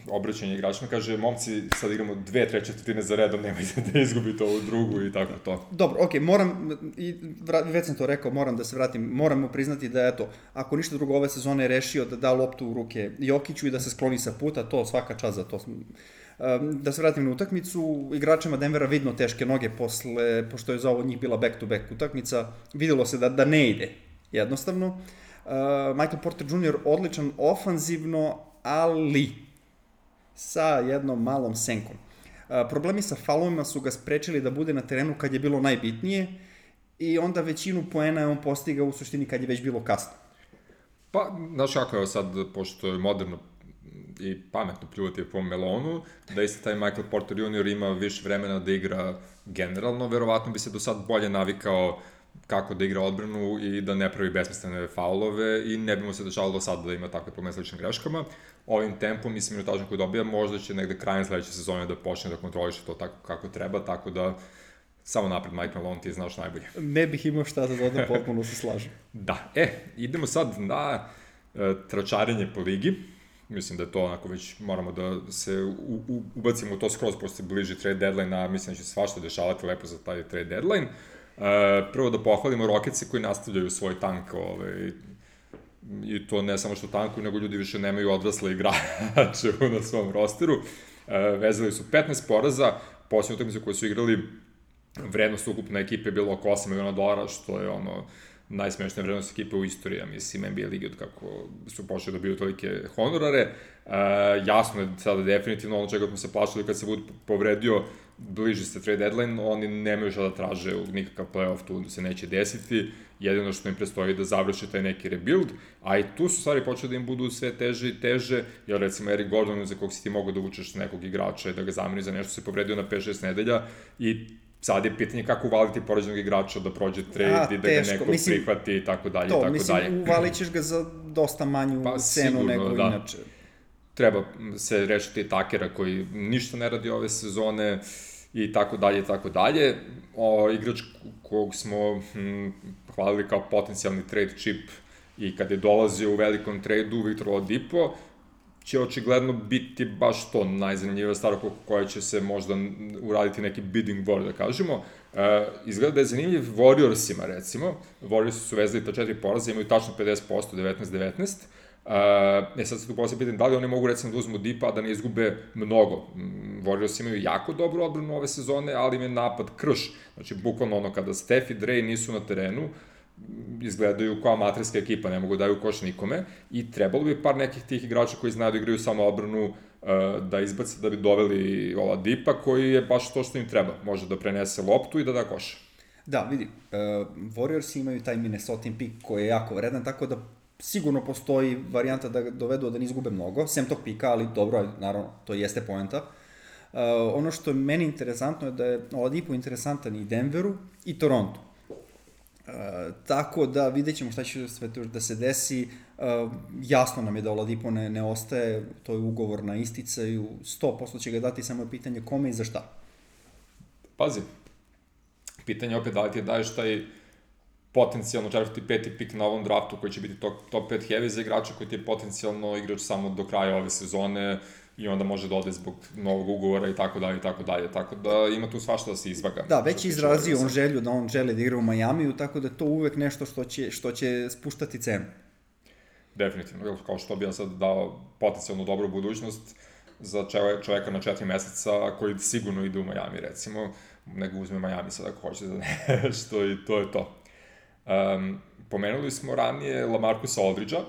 obraćanje igračima, kaže, momci, sad igramo dve, treće četvrtine za redom, nemojte da izgubite ovu drugu i tako to. Dobro, okej, okay, moram, i već sam to rekao, moram da se vratim, moramo priznati da, eto, ako ništa drugo ove sezone je rešio da da loptu u ruke Jokiću i da se skloni sa puta, to svaka čast za to. Um, da se vratim na utakmicu, igračima Denvera vidno teške noge posle, pošto je za ovo njih bila back-to-back utakmica, videlo se da, da ne ide. Jednostavno, uh, Michael Porter junior odličan ofanzivno, ali sa jednom malom senkom. Uh, problemi sa faulovima su ga sprečili da bude na terenu kad je bilo najbitnije i onda većinu poena je on postigao u suštini kad je već bilo kasno. Pa, znaš kako je sad, pošto je moderno i pametno pljuvati po Melonu, da isto taj Michael Porter junior ima više vremena da igra generalno, verovatno bi se do sad bolje navikao kako da igra odbranu i da ne pravi besmislene faulove i ne bi mu se dešavalo do sada da ima takve probleme s ličnim greškama. Ovim tempom, mislim, minutažom koji dobija, možda će negde krajem sledeće sezone da počne da kontroliše to tako kako treba, tako da samo napred, Mike Malone, ti znaš najbolje. Ne bih imao šta da dodam, potpuno se slažem. Da, e, idemo sad na e, tračarenje po ligi. Mislim da je to onako već moramo da se u, u, ubacimo u to skroz, pošto se bliži trade deadline, a mislim da će svašta dešavati lepo za taj trade deadline. E, prvo da pohvalimo Rocketse koji nastavljaju svoj tank, ovaj, i to ne samo što tankuju, nego ljudi više nemaju odrasle igrače na svom rosteru. E, vezali su petnaest poraza, posljednju utakmicu koju su igrali, vrednost ukupne ekipe je bilo oko osam miliona dolara, što je ono najsmešnija vrednost ekipe u istoriji, ja mislim, N B A ligi od kako su počeli da biju tolike honorare. E, jasno je sada definitivno ono čega smo se plašili kad se Wood povredio, bliži se trade deadline, oni nemaju šta da traže, nikakav playoff tu se neće desiti, jedino što im prestoji da završi taj neki rebuild, a i tu su stvari počeli da im budu sve teže i teže, jer recimo Eric Gordon, za kog si ti mogu da učeš nekog igrača i da ga zameni za nešto, se povredio na pet šest nedelja i sad je pitanje kako uvaliti poređenog igrača da prođe trade i da ga neko mislim, prihvati i tako dalje. To, tako mislim, dalje. uvalit ćeš ga za dosta manju pa, cenu sigurno, nego da. inače. Treba se rešiti takera koji ništa ne radi ove sezone i tako dalje i tako dalje. O, igrač kog smo hm, hvalili kao potencijalni trade chip i kad je dolazio u velikom tradu, Victor Oladipo, će očigledno biti baš to najzanimljivija stvar koja će se možda uraditi neki bidding war, da kažemo. E, izgleda da je zanimljiv Warriorsima, recimo. Warriors su vezali ta četiri poraza, imaju tačno pedeset posto, devetnaest devetnaest. E, sad se tu poslije pitam da li oni mogu, recimo, da uzmu Dipa, a da ne izgube mnogo. Warriors imaju jako dobru odbranu ove sezone, ali im je napad krš. Znači, bukvalno ono, kada Steph i Dre nisu na terenu, izgledaju kao amaterska ekipa, ne mogu daju koš nikome i trebalo bi par nekih tih igrača koji znaju da igraju samo odbranu uh, da izbace da bi doveli ova Dipa koji je baš to što im treba, može da prenese loptu i da da koš. Da, vidi, uh, Warriors imaju taj Minnesota pik koji je jako vredan, tako da sigurno postoji varijanta da ga dovedu da ne izgube mnogo, sem tog pika, ali dobro, naravno, to jeste poenta. Uh, ono što je meni interesantno je da je Oladipo interesantan i Denveru i Torontu. Uh, tako da vidjet ćemo šta će sve to da se desi. Uh, jasno nam je da Oladipo ne, ne ostaje, to je ugovor na isticaju, sto posto će ga dati, samo je pitanje kome i za šta. Pazi, pitanje opet da li ti daješ taj potencijalno četvrti peti pik na ovom draftu koji će biti top, top pet heavy za igrača koji ti je potencijalno igrač samo do kraja ove sezone i onda može da ode zbog novog ugovora i tako dalje i tako dalje, tako da ima tu svašta da se izvaga. Da, već je izrazio on želju da on želi da igra u Majamiju, tako da je to uvek nešto što će, što će spuštati cenu. Definitivno, kao što bi ja sad dao potencijalno dobru budućnost za čoveka na četiri meseca koji sigurno ide u Majami, recimo, nego uzme Majami sad ako hoće za nešto i to je to. Um, pomenuli smo ranije Lamarcusa Aldridgea,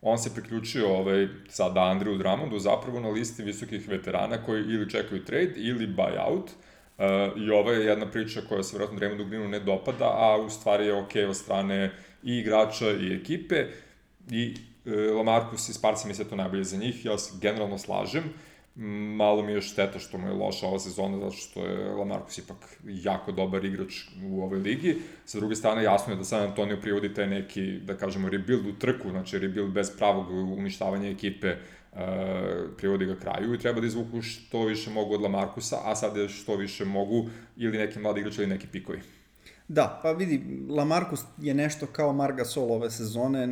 on se priključio ovaj, sada Andrew Drummondu zapravo na listi visokih veterana koji ili čekaju trade ili buyout. Uh, I ovo je jedna priča koja se vjerojatno Draymondu Greenu ne dopada, a u stvari je okej od strane i igrača i ekipe. I uh, Lamarcus i Sparci mi se to najbolje za njih, ja se generalno slažem. Malo mi je šteta što mu je loša ova sezona, zato što je Lamarcus ipak jako dobar igrač u ovoj ligi. Sa druge strane, jasno je da San Antonio privodi taj neki, da kažemo, rebuild u trku, znači rebuild bez pravog uništavanja ekipe, uh, privodi ga kraju i treba da izvuku što više mogu od Lamarcusa, a sad je što više mogu ili neki mladi igrač ili neki pikovi. Da, pa vidi, Lamarcus je nešto kao Marc Gasol ove sezone,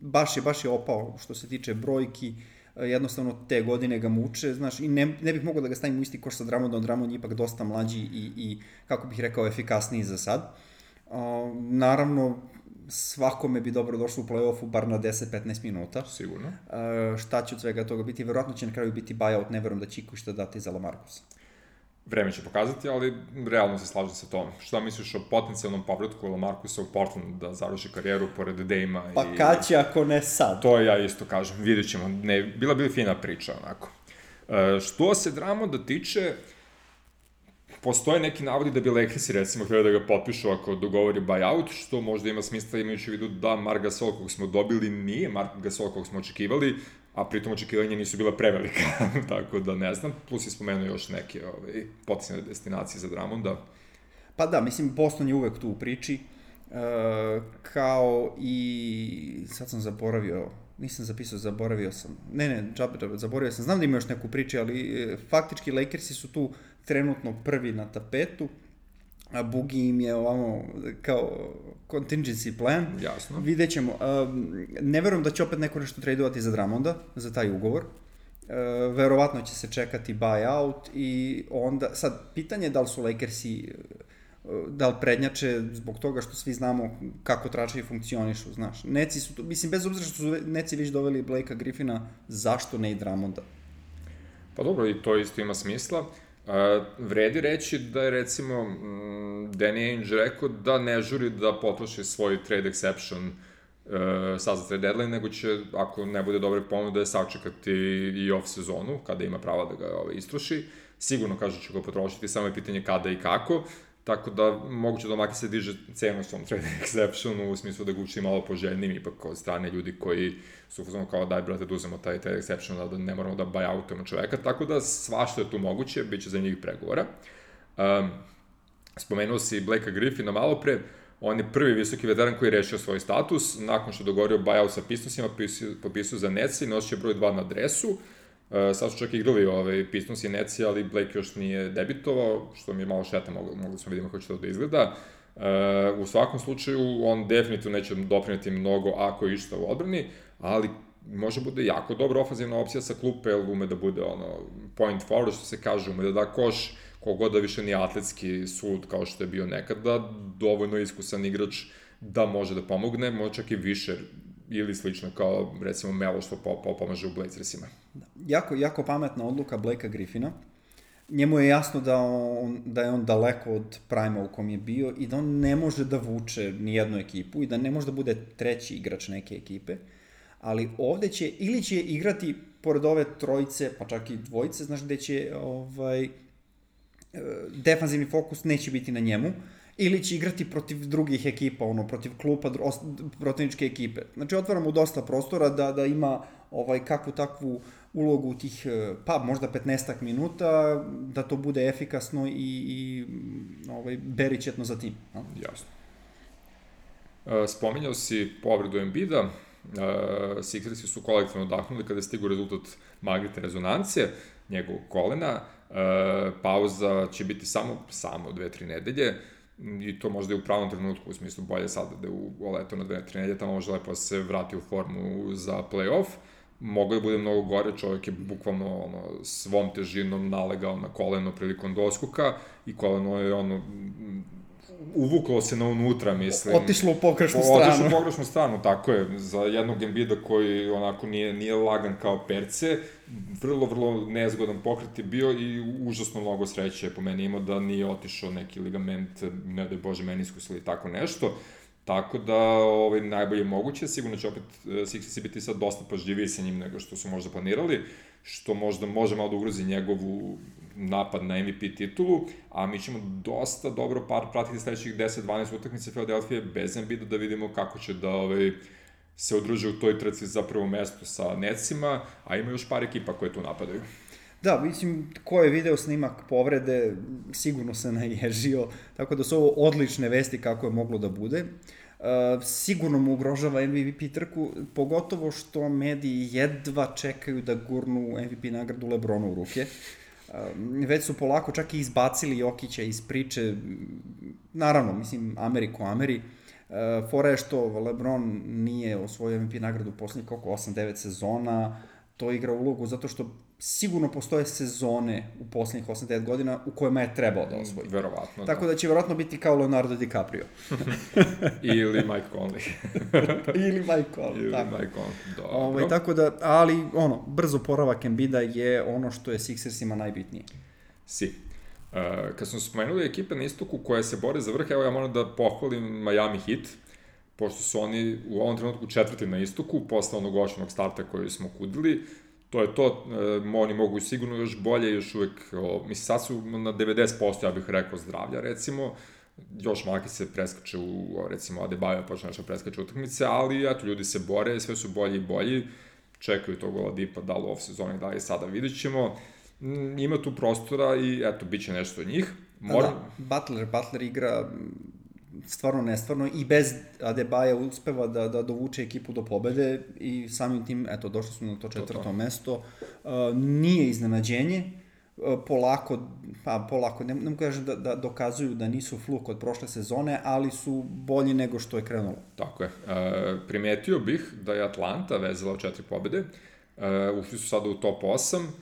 baš je, baš je opao što se tiče brojki, jednostavno te godine ga muče, znaš, i ne, ne bih mogao da ga stavim u isti koš sa Drummondom, Drummond je ipak dosta mlađi i, i kako bih rekao, efikasniji za sad. Uh, naravno, svakome bi dobro došlo u play-offu bar na deset do petnaest minuta. Sigurno. Uh, šta će od svega toga biti? Verovatno će na kraju biti buyout, ne verujem da će iko šta dati za Lamarcusa. Vreme će pokazati, ali realno se slažem sa tom. Šta misliš o potencijalnom povratku Lamarcusa u Portland da završi karijeru pored Dame-a? Pa i... kad će ako ne sad? To ja isto kažem, vidjet ćemo. Ne, bila bi fina priča, onako. E, što se Drummonda tiče, postoje neki navodi da bi Lakersi, recimo, htjeli da ga potpišu ako dogovori buyout, što možda ima smisla imajući u vidu da Marc Gasol kog smo dobili nije Marc Gasol kog smo očekivali, a pritom očekivanja nisu bila prevelika, tako da ne znam, plus je spomenuo još neke ovaj, potencijalne destinacije za Drummonda. Pa da, mislim, Boston je uvek tu u priči, uh, kao i, sad sam zaboravio, nisam zapisao, zaboravio sam, ne, ne, džabe, džabe, zaboravio sam, znam da ima još neku priču, ali e, faktički Lakersi su tu trenutno prvi na tapetu, a Boogie im je ovamo kao contingency plan. Jasno. Vidjet ćemo. Um, ne verujem da će opet neko nešto tradovati za Drummonda, za taj ugovor. Uh, verovatno će se čekati buyout i onda, sad, pitanje je da li su Lakersi, da li prednjače zbog toga što svi znamo kako tračevi funkcionišu, znaš. Neci su tu, mislim, bez obzira što su Neci već doveli Blakea Griffina, zašto ne i Drummonda? Pa dobro, i to isto ima smisla. Uh, vredi reći da je, recimo, mm, Danny Ainge rekao da ne žuri da potroši svoj trade exception uh, sad za trade deadline, nego će, ako ne bude dobre ponude, sačekati i off sezonu, kada ima prava da ga ove, istroši. Sigurno, kaže, će ga potrošiti, samo je pitanje kada i kako. Tako da, moguće da Maki se diže cenu svom trade exceptionu, u smislu da ga uči malo poželjnim, ipak od strane ljudi koji su uzmano kao daj, brate, da uzemo taj trade exception, da ne moramo da buyoutujemo čoveka, tako da svašta je tu moguće, bit će za njih pregovora. Um, spomenuo si Blakea Griffina malo pre, on je prvi visoki veteran koji je rešio svoj status, nakon što dogovorio buyout sa Pistonsima, popisao za Nets i nosio broj dva na dresu. Uh, sad su čak igrali ovaj, Pistons i Netsi, ali Blake još nije debitovao, što mi je malo šteta, mogli, mogli smo vidimo kako će to da izgleda. Uh, u svakom slučaju, on definitivno neće doprineti mnogo ako je išta u odbrani, ali može bude jako dobra ofanzivna opcija sa klupe, jer ume da bude ono, point forward, što se kaže, ume da da koš, kogod da više nije atletski sud kao što je bio nekada, dovoljno iskusan igrač da može da pomogne, može čak i više ili slično kao, recimo, Melo što pomaže u Blazersima. Da. Jako, jako pametna odluka Blakea Griffina. Njemu je jasno da, on, da je on daleko od prima u kom je bio i da on ne može da vuče ni jednu ekipu i da ne može da bude treći igrač neke ekipe, ali ovde će, ili će igrati pored ove trojice, pa čak i dvojice, znaš, gde će ovaj, defanzivni fokus neće biti na njemu, ili će igrati protiv drugih ekipa, ono, protiv klupa, protivničke ekipe. Znači, otvara mu dosta prostora da, da ima ovaj, kakvu takvu ulogu u tih, pa možda petnaestak minuta, da to bude efikasno i, i ovaj, beričetno za tim. No? Jasno. E, spominjao si povredu Embida, e, Sixersi su kolektivno odahnuli kada je stigu rezultat magnetne rezonance, njegovog kolena, e, pauza će biti samo, samo dve, tri nedelje, i to možda je u pravom trenutku, u smislu bolje sada da je u leto na dve, tri nedelje, tamo može lepo se vrati u formu za play-off. Mogao je bude mnogo gore, čovjek je bukvalno ono, svom težinom nalegao na koleno prilikom doskoka i koleno je ono, uvuklo se na unutra, mislim. Otišlo u pogrešnu stranu. Otišlo u pogrešnu stranu, tako je. Za jednog Embida koji onako nije, nije lagan kao perce, vrlo, vrlo nezgodan pokret je bio i užasno mnogo sreće je po meni imao da nije otišao neki ligament, ne da je Bože meniskus ili tako nešto. Tako da, ovaj, najbolje moguće, sigurno će opet Sixersi biti sad dosta pažljiviji sa njim nego što su možda planirali, što možda može malo da ugrozi njegovu napad na M V P titulu, a mi ćemo dosta dobro par pratiti sledećih deset dvanaest utakmice Philadelphia bez Embida da vidimo kako će da ovaj, se udruže u toj trci za prvo mesto sa Netsima, a ima još par ekipa koje tu napadaju. Da, mislim, ko je video snimak povrede, sigurno se naježio, tako da su ovo odlične vesti kako je moglo da bude. Uh, sigurno mu ugrožava M V P trku, pogotovo što mediji jedva čekaju da gurnu M V P nagradu LeBronu u ruke. Uh, već su polako čak i izbacili Jokića iz priče, naravno, mislim, Ameriku, Ameri. Uh, fora je što LeBron nije osvojio M V P nagradu poslednjih oko osam devet sezona, to igra ulogu zato što sigurno postoje sezone u poslednjih osam devet godina u kojima je trebao da osvoji. Verovatno, Tako da, da će verovatno biti kao Leonardo DiCaprio. Ili Mike Conley. Ili Mike Conley. Ili tako. Mike Conley, dobro. Ovaj, tako da, ali ono, brzo poravak Embida je ono što je Sixersima najbitnije. Si. Uh, kad smo spomenuli ekipe na istoku koje se bore za vrh, evo ja moram da pohvalim Miami Heat, pošto su oni u ovom trenutku četvrti na istoku, posle onog očenog starta koji smo kudili. To je to, e, oni mogu sigurno još bolje, još uvek, o, mislim, sad su na devedeset posto, ja bih rekao, zdravlja, recimo, još Maki se preskače u, recimo, Adebayo počne nešto preskače utakmice, ali, eto, ljudi se bore, sve su bolji i bolji, čekaju tog Oladipa, da li u off-sezoni, da li sada, vidjet ćemo, mm, ima tu prostora i, eto, bit će nešto od njih. Moram... Da, Butler, Butler igra stvarno nestvarno i bez Adebaja uspeva da, da dovuče ekipu do pobede i samim tim, eto, došli smo na to četvrto to. mesto. Uh, nije iznenađenje, uh, polako, pa polako, ne, ne kažem da, da dokazuju da nisu fluk od prošle sezone, ali su bolji nego što je krenulo. Tako je. Uh, primetio bih da je Atlanta vezala četiri pobede, uh, ušli su sada u top osam,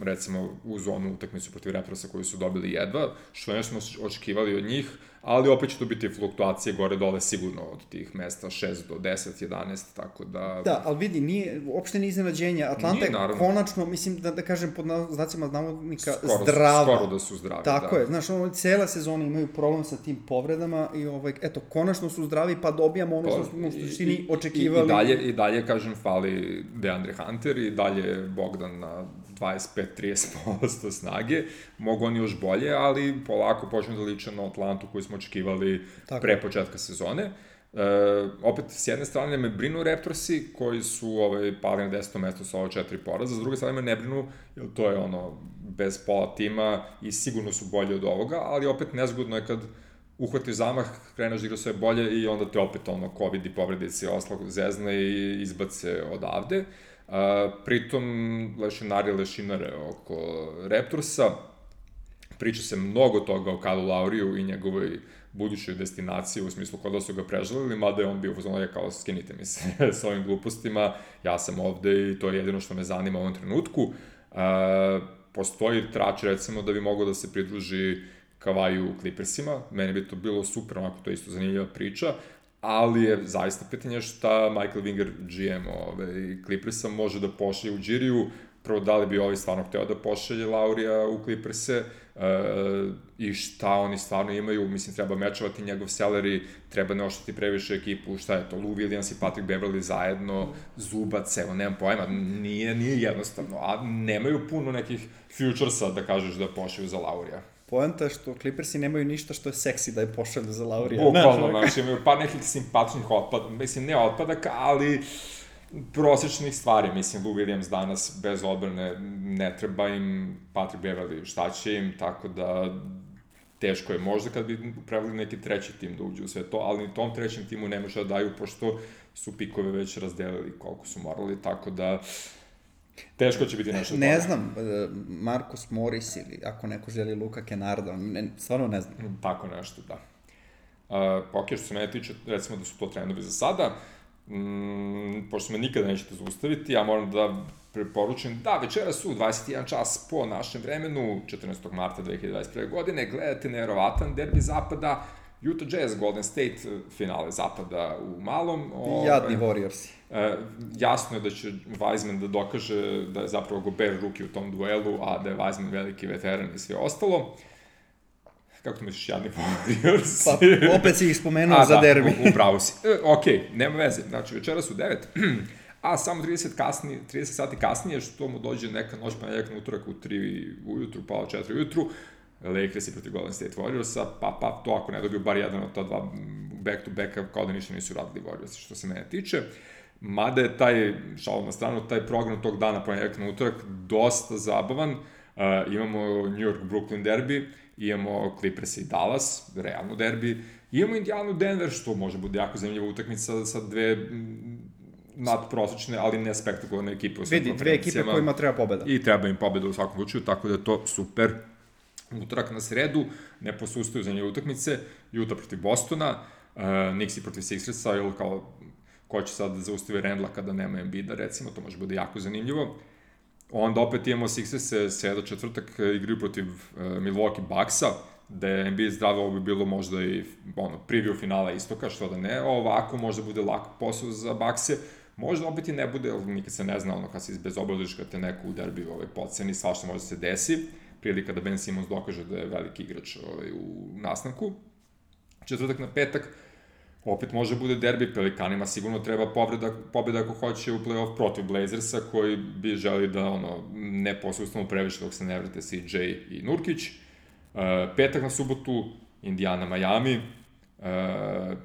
recimo u zonu utakmicu protiv Raptorsa koju su dobili jedva, što ne smo očekivali od njih, ali opet će to biti fluktuacije gore-dole sigurno od tih mesta šest do deset, jedanaest, tako da... Da, ali vidi, nije, uopšte nije iznenađenje. Atlanta je konačno, mislim, da, da kažem pod znacima navodnika, skoro, zdrava. Skoro da su zdravi, tako da. je, znaš, ono, cijela sezona imaju problem sa tim povredama i, ovaj, eto, konačno su zdravi, pa dobijamo ono što smo u suštini očekivali. I, i, dalje, I dalje, kažem, fali DeAndre Hunter i dalje Bogdan na dvadeset pet do trideset posto snage, mogu oni još bolje, ali polako počnu da liče na Atlantu koju smo očekivali tako pre početka sezone. E, opet, s jedne strane me brinu Raptorsi, koji su ovaj, pali na deseto mesto sa ove četiri poraza, s druge strane me ne brinu, jer to je ono, bez pola tima i sigurno su bolji od ovoga, ali opet nezgodno je kad uhvatiš zamah, kreneš da igra sve bolje i onda te opet ono, COVID i povredice oslag zezne i izbace odavde. Uh, pritom lešinari lešinare oko Raptorsa, priča se mnogo toga o Kylu Lauriju i njegovoj budućoj destinaciji, u smislu kod da su ga prežalili, mada je on bio uzmano je kao skinite mi se s ovim glupostima, ja sam ovde i to je jedino što me zanima u ovom trenutku. Uh, postoji trač recimo da bi mogao da se pridruži Kavaju u Clippersima, meni bi to bilo super, onako to je isto zanimljiva priča, ali je zaista pitanje šta Michael Winger, G M ove, Clippersa, može da pošalje u Džiriju. Prvo, da li bi ovaj stvarno hteo da pošalje Laurija u Clipperse e, i šta oni stvarno imaju. Mislim, treba mečovati njegov salary, treba ne oštati previše ekipu, šta je to, Lou Williams i Patrick Beverley zajedno, Zubac, evo, nemam pojma, nije, nije jednostavno, a nemaju puno nekih futuresa da kažeš da pošalju za Laurija. Poenta je što Clippersi nemaju ništa što je seksi da je pošalju za Laurija. Bukvalno, znači, imaju par nekih simpatičnih otpada, mislim, ne otpadaka, ali prosječnih stvari, mislim, Lou Williams danas bez odbrane ne treba im, Patrick Beverley šta će im, tako da teško je možda kad bi upravili neki treći tim da uđe u sve to, ali ni tom trećem timu ne može da daju, pošto su pikove već razdelili koliko su morali, tako da teško će biti nešto. Ne znam, Marcus Morris ili ako neko želi Luka Kennarda, ne, stvarno ne znam. Tako nešto, da. Uh, ok, što se mene tiče, recimo da su to trendovi za sada, mm, pošto me nikada nećete zaustaviti, ja moram da preporučim da večeras su dvadeset jedan čas po našem vremenu, četrnaestog marta dve hiljade dvadeset prve. godine, gledate nevjerovatan derbi zapada, Utah Jazz, Golden State, finale zapada u malom. Ove, Jadni Warriorsi. E, jasno je da će Wiseman da dokaže da je zapravo Gobert ruki u tom duelu, a da je Wiseman veliki veteran i sve ostalo. Kako to misliš, Jadni Warriorsi? Pa, opet si ih spomenuo a, za da, derbi. U, upravo si. E, ok, nema veze. Znači, večeras u devet, a samo trideset, kasnije, trideset sati kasnije, što mu dođe neka noć pa nekak na utorak u tri ujutru, pa u četiri ujutru, Lakers i protiv Golden State Warriorsa, pa, pa to ako ne dobiju bar jedan od ta dva back-to-backa, kao da ništa nisu radili Warriorsi, što se mene tiče. Mada je taj, šalom na stranu, taj program tog dana, ponedjeljak na utorak, dosta zabavan. Uh, imamo New York Brooklyn derbi, imamo Clippers i Dallas, realno derbi, imamo Indianu Denver, što može bude jako zanimljiva utakmica sa dve nadprosečne, ali ne spektakularne ekipe u svim Vidi, dve ekipe kojima treba pobeda. I treba im pobeda u svakom slučaju, tako da je to super. Utorak na sredu, ne posustaju za nje utakmice, Utah protiv Bostona, uh, Knicks protiv Sixersa, ili kao ko će sad da zaustavi Randla kada nema Embida, recimo, to može bude jako zanimljivo. Onda opet imamo Sixerse, sreda četvrtak igraju protiv uh, Milwaukee Bucksa, da je Embiid zdravo, ovo bi bilo možda i ono, preview finala istoka, što da ne, ovako možda bude lak posao za Buckse, možda opet i ne bude, ali nikad se ne zna, ono, kad se izbezobrazuješ, kad te neko u derbiju ovaj, podceni, svašta može se desi, prilika da Ben Simmons dokaže da je veliki igrač ovaj, u nastanku. Četvrtak na petak, opet može bude derbi, Pelikanima sigurno treba povreda, pobjeda ako hoće u play-off protiv Blazersa, koji bi želi da ono, ne posustanu previše dok se ne vrate C J i Nurkić. Uh, petak na subotu, Indiana, Miami. Uh,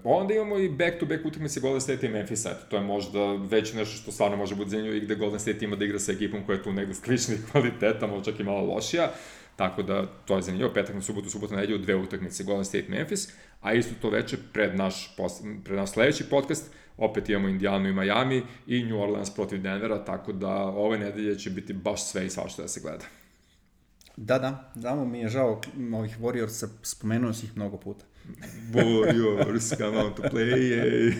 onda imamo i back-to-back utakmice Golden State i Memphisa. To je možda već nešto što stvarno može biti zanimljivo i gde Golden State ima da igra sa ekipom koja je tu negde sličnih kvaliteta, možda čak i malo lošija. Tako da to je zanimljivo. Petak na subotu, subota na nedjelju, dve utakmice Golden State, Memphis. a isto to veče pred naš, pred naš sledeći podcast opet imamo Indijanu i Miami i New Orleans protiv Denvera, tako da ove nedelje će biti baš sve i svašta da se gleda. Da, da, znamo, mi je žao ovih Warriorsa, spomenuo si ih mnogo puta. Warriors, come on to play.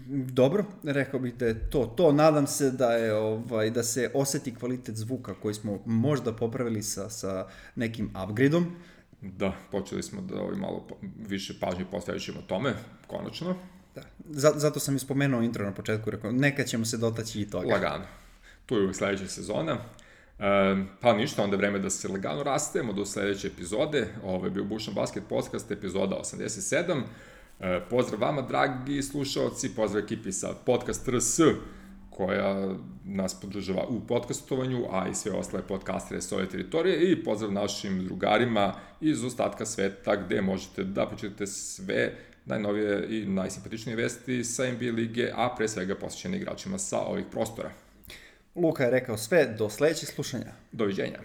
Dobro, rekao bih da je to. To nadam se da je ovaj da se oseti kvalitet zvuka koji smo možda popravili sa sa nekim upgradeom. Da, počeli smo da ovaj malo više pažnje posvećujemo tome, konačno. Da. Zato sam i spomenuo intro na početku, rekao, nekad ćemo se dotaći i toga. Lagano. Tu je uvijek sledeća sezona. E, pa ništa, onda je vreme da se lagano rastemo do sledeće epizode. Ovo je bio Bušan Basket Podcast, epizoda osamdeset sedam. E, pozdrav vama, dragi slušalci, pozdrav ekipi sa Podcast R S, koja nas podržava u podcastovanju, a i sve ostale podcastere s ove teritorije, i pozdrav našim drugarima iz ostatka sveta, gde možete da pročitate sve najnovije i najsimpatičnije vesti sa N B A lige, a pre svega posvećene igračima sa ovih prostora. Luka je rekao sve, do sledećeg slušanja. Doviđenja.